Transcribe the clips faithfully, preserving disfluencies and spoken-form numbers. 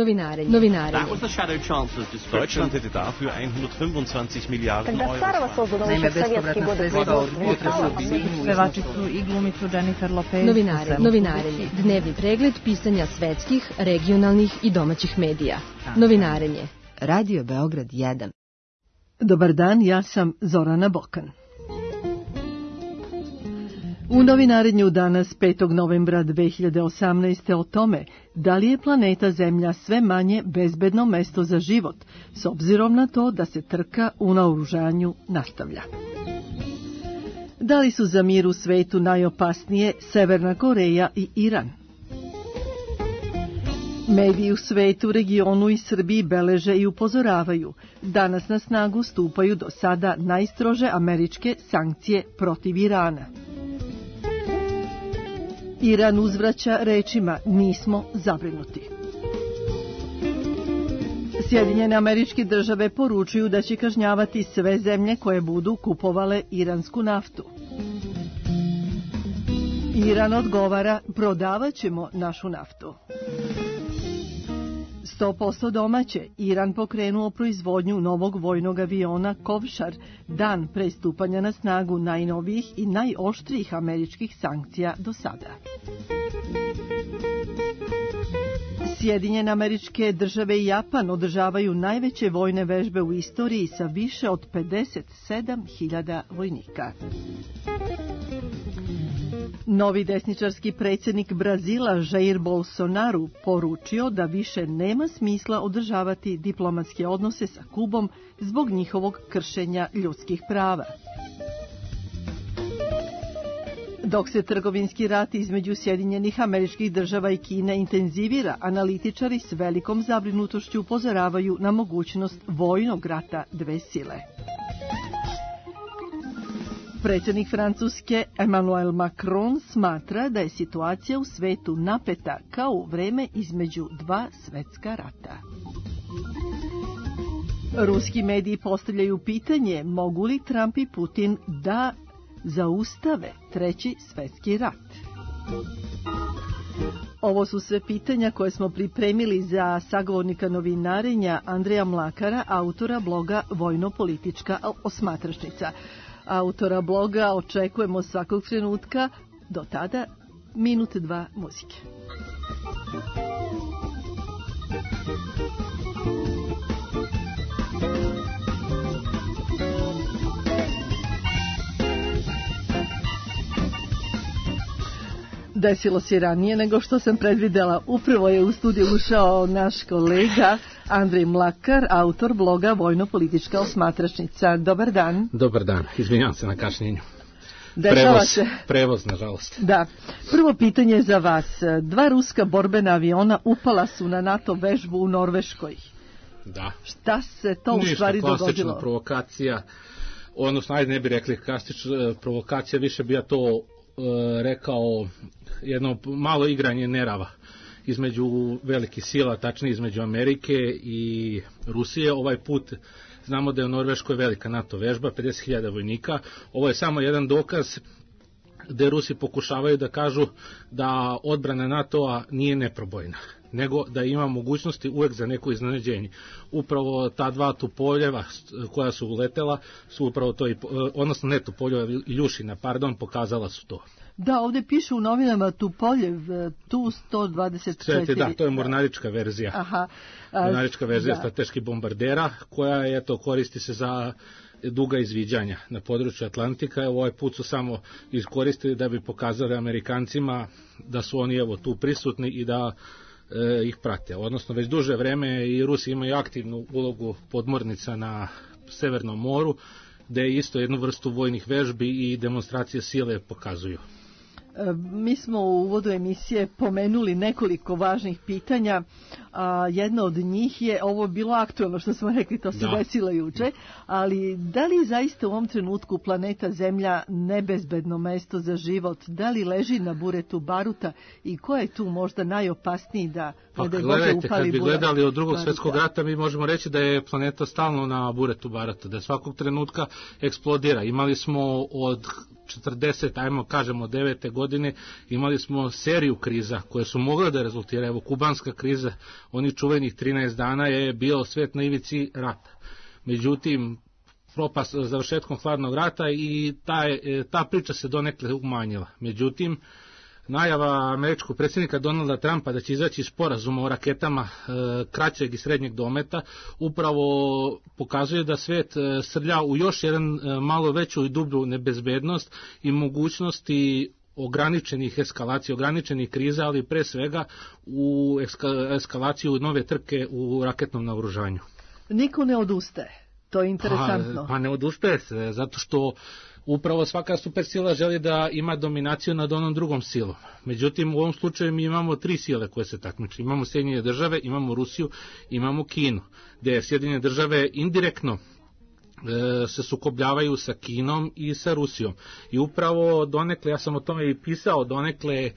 Novinarenje. Novinarenje. That was the shadow chancellor's description. Deutschland hätte dafür hundertfünfundzwanzig Milliarden Euro. Naime, bespovratna sredstva od potresa pevačicu i glumicu Jennifer Lopez. Novinare, novinarenje. Dnevni pregled pisanja svetskih, regionalnih i domaćih medija. Novinarenje. Radio Beograd jedan. Dobar dan, ja sam Zorana Bokan. U novinarenju danas petog novembra dve hiljade osamnaeste. o tome da li je planeta Zemlja sve manje bezbedno mesto za život, s obzirom na to da se trka u naoružanju nastavlja. Da li su za mir u svetu najopasnije Severna Koreja i Iran? Mediji u svetu, regionu i Srbiji beleže i upozoravaju. Danas na snagu stupaju do sada najstrože američke sankcije protiv Irana. Iran uzvraća rečima nismo zabrinuti. Sjedinjene Američke Države poručuju da će kažnjavati sve zemlje koje budu kupovale iransku naftu. Iran odgovara, prodavat ćemo našu naftu. sto posto domaće, Iran pokrenuo proizvodnju novog vojnog aviona Kovšar dan pre stupanja na snagu najnovijih i najoštrijih američkih sankcija do sada. Sjedinjene Američke Države i Japan održavaju najveće vojne vežbe u istoriji sa više od pedeset sedam hiljada vojnika. Novi desničarski predsjednik Brazila Jair Bolsonaro poručio da više nema smisla održavati diplomatske odnose sa Kubom zbog njihovog kršenja ljudskih prava. Dok se trgovinski rat između Sjedinjenih Američkih Država i Kine intenzivira, analitičari s velikom zabrinutošću upozoravaju na mogućnost vojnog rata dve sile. Predsjednik Francuske Emmanuel Macron smatra da je situacija u svetu napeta kao u vreme između dva svetska rata. Ruski mediji postavljaju pitanje mogu li Trump i Putin da zaustave treći svetski rat. Ovo su sve pitanja koje smo pripremili za sagovornika novinarenja Andreja Mlakara, autora bloga Vojno-politička osmatračnica. Autora bloga očekujemo svakog trenutka, do tada minut dva muzike. Desilo se ranije nego što sam predvidela. Upravo je u studiju ušao naš kolega Andrej Mlakar, autor bloga Vojno-politička osmatračnica. Dobar dan. Dobar dan, izvinjavam se na kašnjenju. Prevoz, prevoz, nažalost. Da. Prvo pitanje za vas. Dva ruska borbena aviona upala su na NATO vežbu u Norveškoj. Da. Šta se to u stvari dogodilo? Ništa, klasična provokacija, odnosno, ajde ne bi rekli klasična provokacija, više bi ja to uh, rekao jedno malo igranje nerava između velikih sila, tačnije između Amerike i Rusije. Ovaj put znamo da je u Norveškoj velika NATO vežba, pedeset hiljada vojnika. Ovo je samo jedan dokaz gde Rusi pokušavaju da kažu da odbrana NATO-a nije neprobojna, nego da ima mogućnosti uvek za neko iznenađenje. Upravo ta dva Tupoljeva koja su uletela su upravo to, odnosno ne Tupoljeva, Iljušina, pardon, pokazala su to. Da, ovdje piše u novinama Tupoljev, tu sto dvadeset četiri. Da, to je mornarička verzija. Aha. A, mornarička verzija da. Strateških bombardera, koja je, eto, koristi se za duga izviđanja na području Atlantika. Ovaj put su samo iskoristili da bi pokazali Amerikancima da su oni evo tu prisutni i da e, ih prate. Odnosno, već duže vreme i Rusi imaju aktivnu ulogu podmornica na Severnom moru, gde isto jednu vrstu vojnih vežbi i demonstracije sile pokazuju. Mi smo u uvodu emisije pomenuli nekoliko važnih pitanja, a jedno od njih je ovo bilo aktuelno što smo rekli, to se da. desilo juče, ali da li zaista u ovom trenutku planeta Zemlja nebezbedno mesto za život, da li leži na buretu baruta i ko je tu možda najopasniji da pa, gledajte, kad bi gledali od drugog svjetskog rata, mi možemo reći da je planeta stalno na buretu baruta, da svakog trenutka eksplodira. Imali smo od četrdeset, ajmo kažemo devete godine, imali smo seriju kriza koje su mogle da rezultiraju. Evo, kubanska kriza, onih čuvenih trinaest dana je bio svet na ivici rata. Međutim, propast završetkom hladnog rata i ta, ta priča se donekle umanjila. Međutim, najava američkog predsjednika Donalda Trumpa da će izaći sporazuma o raketama e, kraćeg i srednjeg dometa upravo pokazuje da svet e, srlja u još jedan e, malo veću i dublju nebezbednost i mogućnosti ograničenih eskalacija, ograničenih kriza, ali pre svega u eskalaciju nove trke u raketnom naoružanju. Niko ne odustaje. To je interesantno. Pa, pa ne odustaje se, zato što upravo svaka supersila želi da ima dominaciju nad onom drugom silom. Međutim, u ovom slučaju mi imamo tri sile koje se takmiče. Imamo Sjedinjene države, imamo Rusiju, imamo Kinu, gde Sjedinjene države indirektno e, se sukobljavaju sa Kinom i sa Rusijom. I upravo donekle, ja sam o tome i pisao, donekle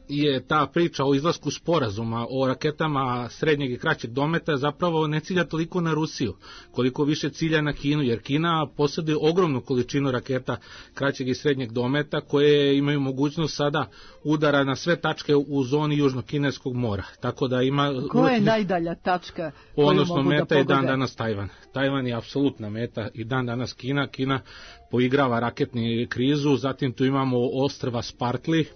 je ta priča o izlasku sporazuma o raketama srednjeg i kraćeg dometa zapravo ne cilja toliko na Rusiju, koliko više cilja na Kinu, jer Kina posjeduje ogromnu količinu raketa kraćeg i srednjeg dometa koje imaju mogućnost sada udara na sve tačke u zoni Južno-Kineskog mora. Tako da ima... Koja je najdalja tačka koju odnosno mogu da meta je pogode? dan danas Tajvan. Tajvan je apsolutna meta i dan danas Kina. Kina poigrava raketni krizu, zatim tu imamo ostrva Spartli.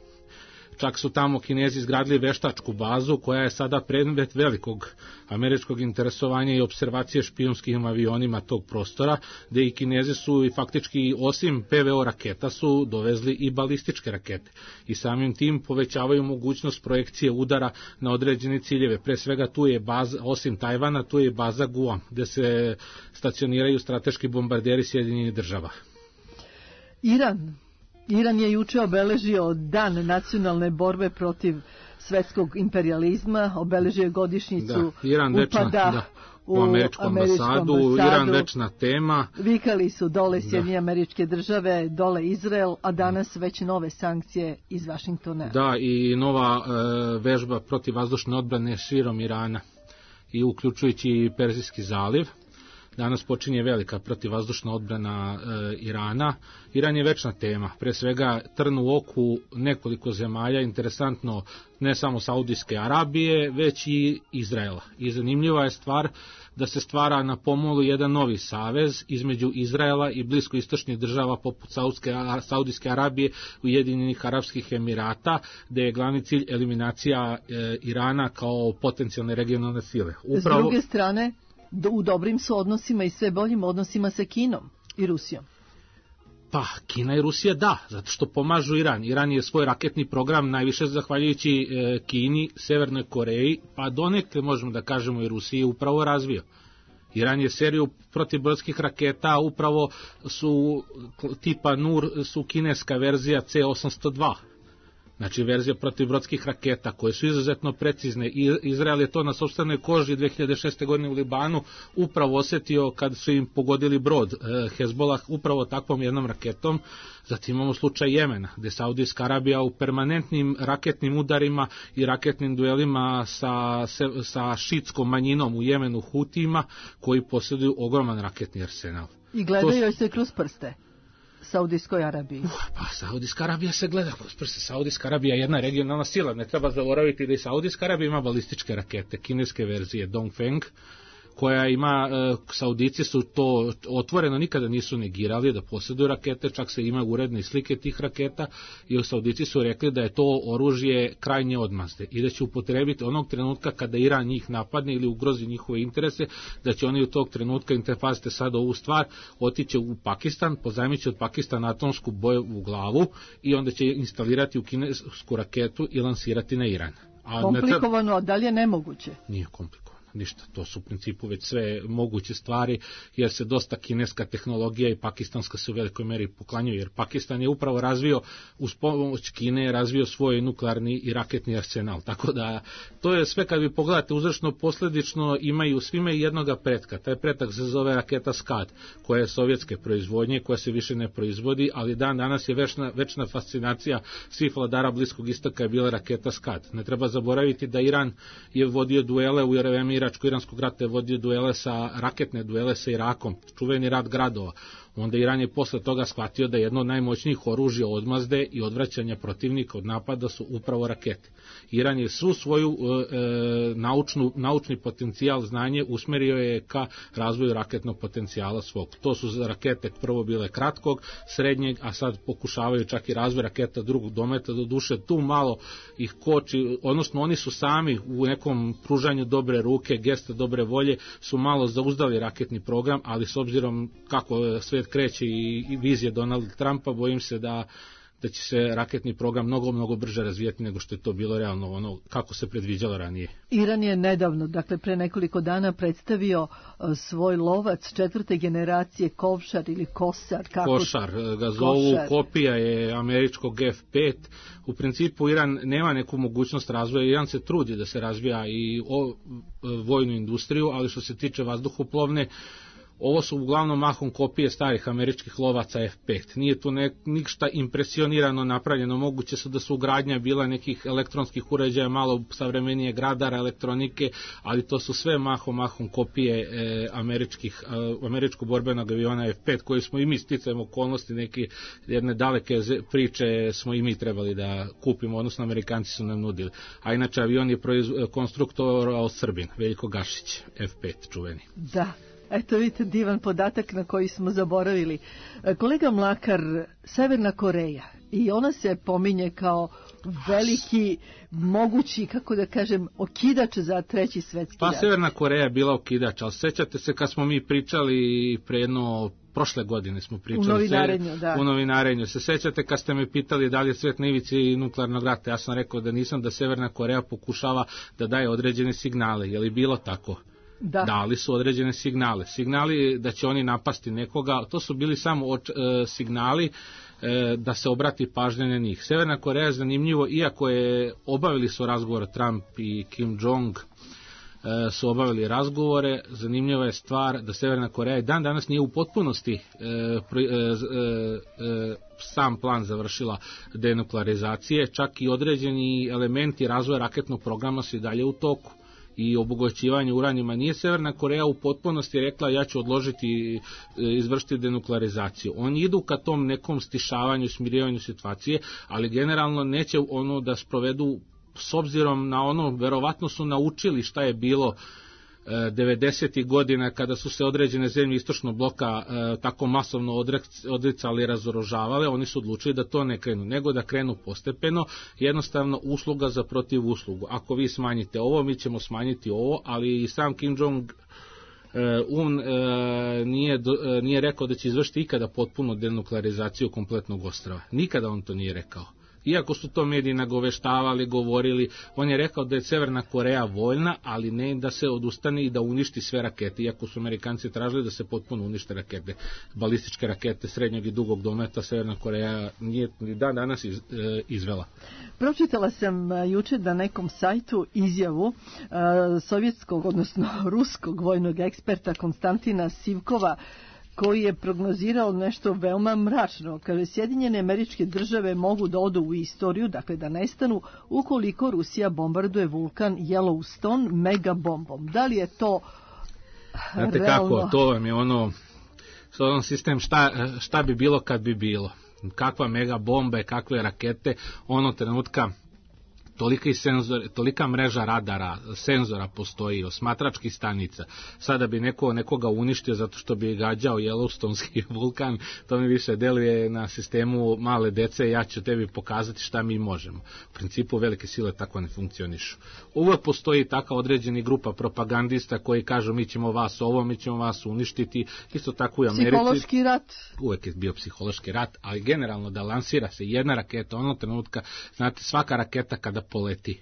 Čak su tamo Kinezi izgradili veštačku bazu koja je sada predmet velikog američkog interesovanja i observacije špijunskim avionima tog prostora, gde i Kinezi su i faktički osim P V O raketa su dovezli i balističke rakete i samim tim povećavaju mogućnost projekcije udara na određene ciljeve. Pre svega tu je baza, osim Tajvana, tu je baza Guam, gde se stacioniraju strateški bombarderi Sjedinjenih država. Iran. Iran je juče obeležio dan nacionalne borbe protiv svetskog imperializma, obeležio je godišnjicu da, Iran večna, upada da, u američku ambasadu, ambasadu, Iran večna tema. Vikali su dole Sjedinjene Američke Države, dole Izrael, a danas već nove sankcije iz Vašingtona. Da, i nova e, vežba protiv vazdušne odbrane širom Irana, i uključujući Perzijski zaliv. Danas počinje velika protivvazdušna odbrana e, Irana. Iran je večna tema, pre svega trn u oku nekoliko zemalja, interesantno ne samo Saudijske Arabije, već i Izraela. I zanimljiva je stvar da se stvara na pomolu jedan novi savez između Izraela i bliskoistočnih država poput Saudijske, Saudijske Arabije, Ujedinjenih Arapskih Emirata, gde je glavni cilj eliminacija e, Irana kao potencijalne regionalne sile. Upravo... S druge strane, u dobrim su odnosima i sve boljim odnosima sa Kinom i Rusijom. Pa, Kina i Rusija da, zato što pomažu Iran. Iran je svoj raketni program najviše zahvaljujući e, Kini, Severnoj Koreji, pa donekle možemo da kažemo i Rusiji upravo razvio. Iran je seriju protivbrodskih raketa, upravo su tipa Nur, su kineska verzija C osamsto dva. Znači verzija protivbrodskih raketa koje su izuzetno precizne. I Izrael je to na sopstvenoj koži dve hiljade šeste. godine u Libanu upravo osjetio kad su im pogodili brod e, Hezbolah upravo takvom jednom raketom. Zatim imamo slučaj Jemena, gde Saudijska Arabija u permanentnim raketnim udarima i raketnim duelima sa, sa šitskom manjinom u Jemenu Hutijima, koji posjeduju ogroman raketni arsenal. I gledaju to... se kroz prste. Saudijskoj Arabiji. Uh, pa Saudijska Arabija se gleda kroz prste. Saudijska Arabija je jedna regionalna sila. Ne treba zaboraviti da i Saudijska Arabija ima balističke rakete, kineske verzije Dongfeng, koja ima, e, Saudici su to otvoreno nikada nisu negirali da posjeduju rakete, čak se ima uredne slike tih raketa i Saudici su rekli da je to oružje krajnje odmazde i da će upotrebiti onog trenutka kada Iran njih napadne ili ugrozi njihove interese, da će oni u tog trenutka, interfazite sad ovu stvar, otići u Pakistan, pozajmit će od Pakistana atomsku bojevu glavu i onda će instalirati u kinesku raketu i lansirati na Iran. A komplikovano, a da li je nemoguće? Nije komplikovano. Ništa, to su u principu već sve moguće stvari, jer se dosta kineska tehnologija i pakistanska se u velikoj meri poklanjaju, jer Pakistan je upravo razvio, uz pomoć Kine, razvio svoj nuklearni i raketni arsenal, tako da to je sve, kad vi pogledate uzročno posledično, imaju svime jednoga pretka. Taj pretak se zove raketa Skad, koja je sovjetske proizvodnje, koja se više ne proizvodi, ali dan danas je večna, večna fascinacija svih vladara Bliskog istoka je bila raketa Skad. Ne treba zaboraviti da Iran je vodio duele u vreme Iračko-iranskog rata, je vodio duele sa, raketne duele sa Irakom, čuveni rat gradova. Onda Iran je posle toga shvatio da jedno od najmoćnijih oružja odmazde i odvraćanja protivnika od napada su upravo rakete. Iran je svu svoju e, naučnu, naučni potencijal, znanje usmerio je ka razvoju raketnog potencijala svog. To su rakete prvo bile kratkog, srednjeg, a sad pokušavaju čak i razvoj raketa drugog dometa, do duše tu malo ih koči, odnosno oni su sami u nekom pružanju dobre ruke, gesta dobre volje, su malo zauzdali raketni program, ali s obzirom kako svet kreće i, i vizije Donalda Trumpa, bojim se da da će se raketni program mnogo, mnogo brže razvijeti nego što je to bilo realno, ono kako se predviđalo ranije. Iran je nedavno, dakle pre nekoliko dana, predstavio uh, svoj lovac četvrte generacije Kovšar ili Kosar. Kako... Košar ga zovu, Košar. Kopija je američkog F pet. U principu Iran nema neku mogućnost razvoja, Iran se trudi da se razvija i o, vojnu industriju, ali što se tiče vazduhoplovne, ovo su uglavnom mahom kopije starih američkih lovaca F pet. Nije tu ne, ništa impresionirano napravljeno. Moguće su da su ugradnja bila nekih elektronskih uređaja, malo savremenije gradara, elektronike, ali to su sve mahom, mahom kopije e, američkih, e, američkog borbenog aviona F pet, koji smo i mi sticajem okolnosti, neke jedne daleke priče smo i mi trebali da kupimo, odnosno Amerikanci su nam nudili. A inače avion je proiz, konstruktor od Srbin, Veljko Gašić, F pet čuveni. Da. Eto vidite divan podatak na koji smo zaboravili. Kolega Mlakar, Severna Koreja, i ona se pominje kao veliki, mogući, kako da kažem, okidač za treći svetski pa, rat. Pa Severna Koreja je bila okidač, ali sećate se kad smo mi pričali pre jedno, prošle godine smo pričali. U novinarenju, da. U novinarenju. Se sećate kad ste me pitali da li je svet na ivici nuklearnog rata, ja sam rekao da nisam, da Severna Koreja pokušava da daje određene signale. Je li bilo tako? Da. Dali su određene signale. Signali da će oni napasti nekoga, to su bili samo oč, e, signali e, da se obrati pažnja na njih. Severna Koreja je zanimljivo, iako je obavili su razgovor Trump i Kim Jong, e, su obavili razgovore, zanimljiva je stvar da Severna Koreja i dan danas nije u potpunosti e, pri, e, e, sam plan završila denuklearizacije, čak i određeni elementi razvoja raketnog programa su i dalje u toku i obogaćivanje uranijuma. Nije Severna Koreja u potpunosti rekla ja ću odložiti, izvršiti denuklearizaciju. Oni idu ka tom nekom stišavanju, smirivanju situacije, ali generalno neće ono da sprovedu, s obzirom na ono, verovatno su naučili šta je bilo devedesetih godina kada su se određene zemlje istočnog bloka e, tako masovno odricali i razoružavale, oni su odlučili da to ne krenu, nego da krenu postepeno, jednostavno usluga za protiv uslugu. Ako vi smanjite ovo, mi ćemo smanjiti ovo, ali i sam Kim Jong Un e, nije, e, nije rekao da će izvršiti ikada potpuno denuklearizaciju kompletnog ostrva. Nikada on to nije rekao. Iako su to mediji nagoveštavali, govorili, on je rekao da je Severna Koreja voljna, ali ne da se odustane i da uništi sve rakete, iako su Amerikanci tražili da se potpuno unište rakete, balističke rakete srednjeg i dugog dometa, Severna Koreja nije ni dan danas iz, e, izvela. Pročitala sam juče na nekom sajtu izjavu e, sovjetskog, odnosno ruskog vojnog eksperta Konstantina Sivkova, koji je prognozirao nešto veoma mračno. Kaže, Sjedinjene Američke Države mogu da odu u istoriju, dakle da nestanu, ukoliko Rusija bombarduje vulkan Yellowstone megabombom. Da li je to Znate realno? Kako, to vam je ono, ono sistem šta, šta bi bilo kad bi bilo. Kakva megabomba, kakve rakete, ono trenutka tolika, senzor, tolika mreža radara, senzora postoji, osmatračkih stanica. Sada bi neko nekoga uništio zato što bi gađao Yellowstonski vulkan, to mi više deluje na sistemu male dece, ja ću tebi pokazati šta mi možemo. U principu velike sile tako ne funkcionišu. Uvek postoji taka određeni grupa propagandista koji kažu mi ćemo vas ovo, mi ćemo vas uništiti, isto tako i u Americi. Psihološki rat. Uvek je bio psihološki rat, ali generalno da lansira se jedna raketa, onog trenutka, znate, svaka raketa kada poleti,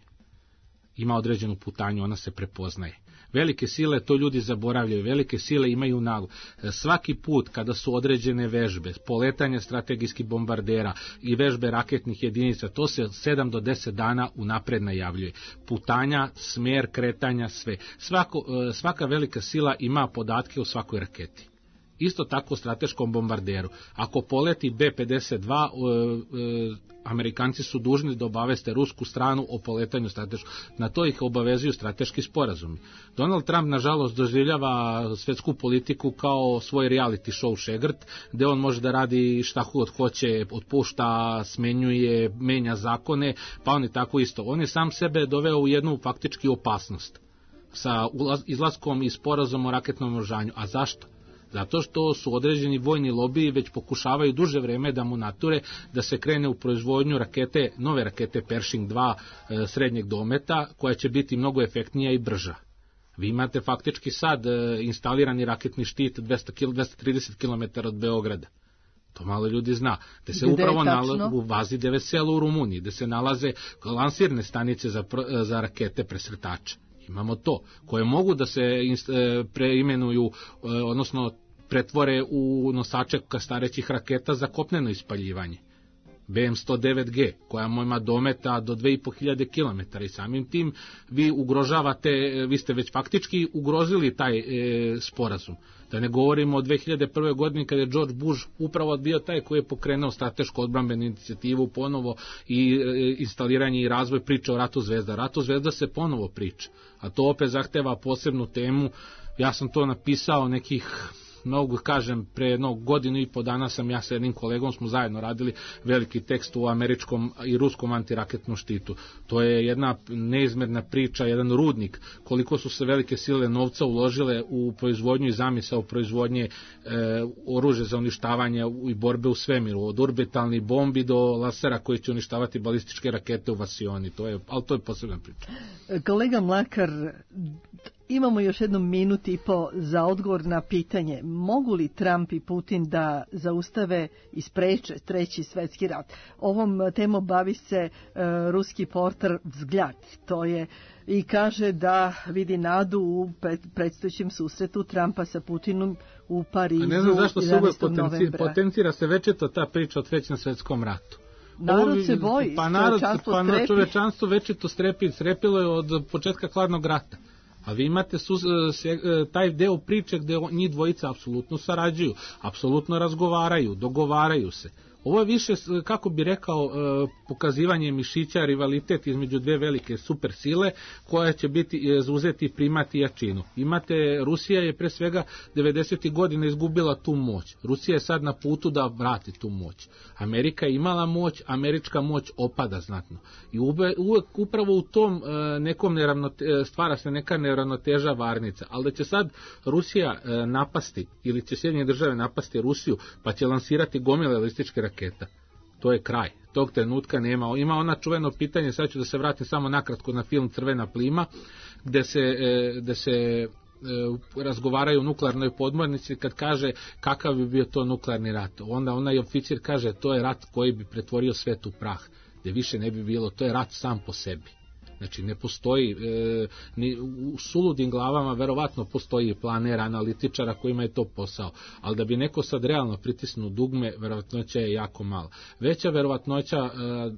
ima određenu putanju, ona se prepoznaje. Velike sile, to ljudi zaboravljaju, velike sile imaju nagu. Svaki put kada su određene vežbe, poletanje strategijskih bombardera i vežbe raketnih jedinica, to se sedam do deset dana unapred najavljuje. Putanja, smer kretanja, sve. Svako, svaka velika sila ima podatke o svakoj raketi. Isto tako strateškom bombarderu. Ako poleti be pedeset dva, e, e, Amerikanci su dužni da obaveste rusku stranu o poletanju strateškog. Na to ih obavezuju strateški sporazumi. Donald Trump, nažalost, doživljava svetsku politiku kao svoj reality show šegrt, gde on može da radi šta god hoće, otpušta, smenjuje, menja zakone, pa on je tako isto. On je sam sebe doveo u jednu faktički opasnost sa izlaskom i sporazom o raketnom oružanju. A zašto? Zato što su određeni vojni lobiji već pokušavaju duže vreme da mu nature da se krene u proizvodnju rakete, nove rakete Pershing dva e, srednjeg dometa, koja će biti mnogo efektnija i brža. Vi imate faktički sad e, instalirani raketni štit dvesta trideset kilometara od Beograda. To malo ljudi zna. Gde se Gde upravo nalazi u bazi de Veselo u Rumuniji, gde se nalaze lansirne stanice za, za rakete presretače. Imamo to, koje mogu da se preimenuju, odnosno pretvore u nosače kastarećih raketa za kopneno ispaljivanje. be em sto devet ge, koja ima dometa do dve i po hiljade kilometara i samim tim vi ugrožavate, vi ste već faktički ugrozili taj e, sporazum. Da ne govorimo o dve hiljade prve. godini kada je George Bush upravo bio taj koji je pokrenuo stratešku odbrambenu inicijativu ponovo i e, instaliranje i razvoj priče o Ratu zvezda. Ratu zvezda se ponovo priča, a to opet zahteva posebnu temu. Ja sam to napisao nekih, mnogo kažem, pre jednog godinu i po dana sam ja sa jednim kolegom, smo zajedno radili veliki tekst u američkom i ruskom antiraketnom štitu. To je jedna neizmerna priča, jedan rudnik, koliko su se velike sile novca uložile u proizvodnju i zamisao proizvodnje e, oružja za uništavanje i borbe u svemiru, od orbitalnih bombi do lasera koji će uništavati balističke rakete u Vasioni. To je, ali to je posebna priča. Kolega Mlakar, imamo još jednu minut i po za odgovor na pitanje mogu li Trump i Putin da zaustave i spreče treći svetski rat. Ovom temom bavi se uh, ruski portal Vzgljad. To je i kaže da vidi nadu u predstojećem susretu Trumpa sa Putinom u Parizu. A ne znam zašto se uvek potenci, potencira se večeto ta priča o trećem svetskom ratu. Narod se boji, pa narod, pa na čovečanstvo večito strepi, strepilo je od početka hladnog rata. A vi imate su, se, taj deo priče gde njih dvojica apsolutno sarađuju, apsolutno razgovaraju, dogovaraju se. Ovo je više, kako bi rekao, pokazivanje mišića, rivalitet između dve velike super sile koja će biti zauzeti primat i jačinu. Imate, Rusija je pre svega devedesetih godina izgubila tu moć. Rusija je sad na putu da vrati tu moć. Amerika je imala moć, američka moć opada znatno. I uvek upravo u tom nekom neravnote, stvara se neka neravnoteža varnica. Ali da će sad Rusija napasti ili će Sjedinjene države napasti Rusiju pa će lansirati gomile balističke raketa. To je kraj. Tog trenutka nema. Ima ona čuveno pitanje, sad ću da se vratim samo nakratko na film Crvena plima, gde se, gde se razgovaraju o nuklearnoj podmornici, kad kaže kakav bi bio to nuklearni rat. Onda onaj oficir kaže to je rat koji bi pretvorio svet u prah, gde više ne bi bilo, to je rat sam po sebi. Znači ne postoji, e, ni, u suludim glavama verovatno postoji planera, analitičara kojima je to posao, ali da bi neko sad realno pritisnuo dugme, verovatnoća je jako mala. Veća verovatnoća e,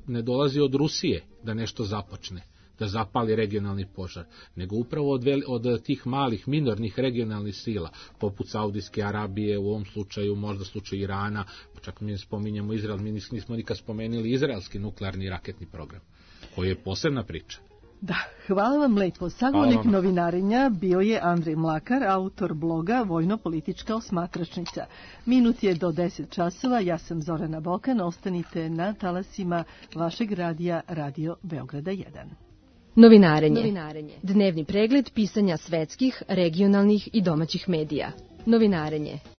ne dolazi od Rusije da nešto započne, da zapali regionalni požar, nego upravo od, veli, od tih malih minornih regionalnih sila, poput Saudijske Arabije, u ovom slučaju možda slučaju Irana, čak mi spominjamo Izrael, mi nismo nikad spomenuli izraelski nuklearni raketni program, koji je posebna priča. Da, hvala vam lepo. Sagovornik novinarenja bio je Andrej Mlakar, autor bloga Vojno-politička osmatračnica. Minut je do deset časova, ja sam Zorana Bokan, ostanite na talasima vašeg radija Radio Beograda jedan. Novinarenje. Novinarenje. Dnevni pregled pisanja svetskih, regionalnih i domaćih medija. Novinarenje.